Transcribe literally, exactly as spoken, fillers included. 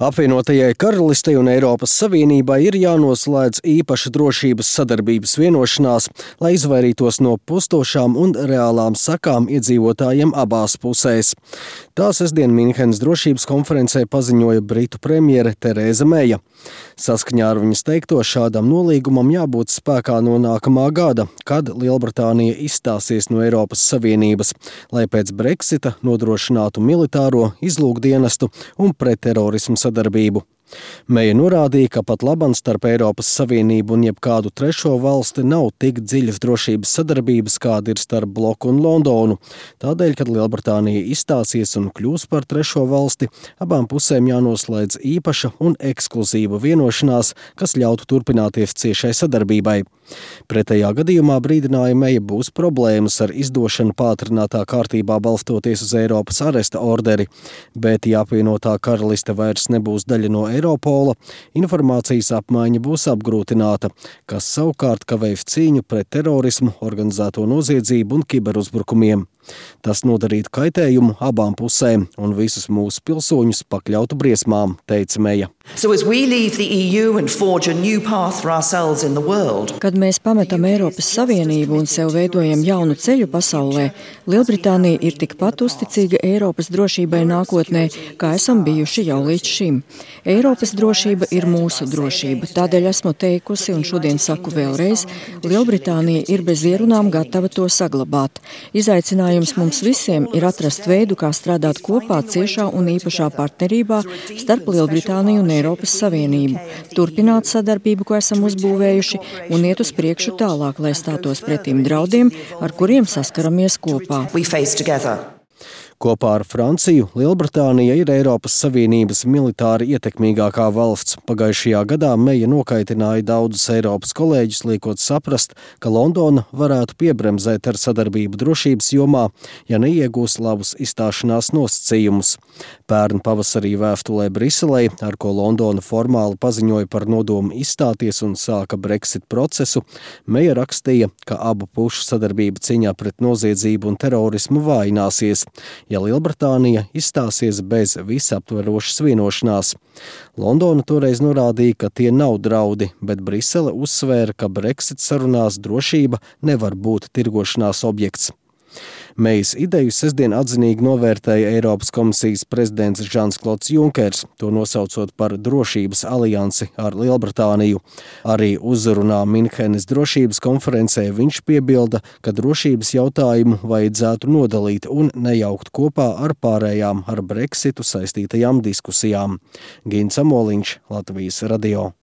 Apvienotajai Karalistei un Eiropas Savienībai ir jānoslēdz īpaša drošības sadarbības vienošanās, lai izvairītos no postošām un reālām sakām iedzīvotājiem abās pusēs. Tā sestdien Minhenes drošības konferencē paziņoja Britu premjere Tereza Meija. Saskaņā ar viņas teikto, šādam nolīgumam jābūt spēkā no nākamā gada, kad Lielbritānija izstāsies no Eiropas Savienības, lai pēc Brexita nodrošinātu militāro, izlūkdienestu un pretterorismu sadarbību. Meija norādīja, ka pat labam starp Eiropas Savienību un jebkādu trešo valsti nav tik dziļas drošības sadarbības, kāda ir starp bloku un Londonu. Tādēļ, kad Lielbritānija izstāsies un kļūs par trešo valsti, abām pusēm jānoslēdz īpaša un ekskluzīva vienošanās, kas ļautu turpināties ciešai sadarbībai. Pretējā gadījumā, brīdināja Meija, būs problēmas ar izdošanu pātrinātā kārtībā balstoties uz Eiropas aresta orderi, bet ja apvienotā karaliste vairs nebūs daļa no Eiropola, informācijas apmaiņa būs apgrūtināta, kas savukārt kavēs cīņu pret terorismu, organizēto noziedzību un kiberuzbrukumiem. Tas nodarītu kaitējumu abām pusēm un visus mūsu pilsoņus pakļautu briesmām, teica Meija. So as we leave the E U and forge a new path for ourselves in the world. Kad mēs pametam Eiropas Savienību un sev veidojam jaunu ceļu pasaulē, Lielbritānija ir tikpat uzticīga Eiropas drošībai nākotnē, kā esam bijuši jau līdz šim. Eiropas drošība ir mūsu drošība, tādēļ esmu teikusi un šodien saku vēlreiz, Lielbritānija ir bez ierunām gatava to saglabāt. Izaicinājums mums visiem ir atrast veidu, kā strādāt kopā ciešā un īpašā partnerībā starp Lielbritāniju un Eiropas Savienību, turpināt sadarbību, ko esam uzbūvējuši, un iet uz priekšu tālāk, lai stātos pretīm draudiem, ar kuriem saskaramies kopā. Kopā ar Franciju Lielbritānija ir Eiropas Savienības militāri ietekmīgākā valsts. Pagājušajā gadā Meija nokaitināja daudzus Eiropas kolēģus, liekot saprast, ka Londona varētu piebremzēt ar sadarbību drošības jomā, ja neiegūs labus izstāšanās nosacījumus. Pērn pavasarī vēstulē Briselei, ar ko Londona formāli paziņoja par nodomu izstāties un sāka Brexit procesu, Meija rakstīja, ka abu pušu sadarbība cīņā pret noziedzību un terorismu vājināsies, ja Lielbritānija izstāsies bez visaptverošas vienošanās. Londona toreiz norādīja, ka tie nav draudi, bet Brisele uzsvēra, ka Brexit sarunās drošība nevar būt tirgošanās objekts. Meijas ideju sestdien atzinīgi novērtēja Eiropas komisijas prezidents Žans-Klods Junkers, to nosaucot par drošības aliansi ar Lielbritāniju. Arī uzrunā Minhenes drošības konferencē viņš piebilda, ka drošības jautājumu vajadzētu nodalīt un nejaukt kopā ar pārējām ar Brexitu saistītajām diskusijām. Gins Amoliņš, Latvijas radio.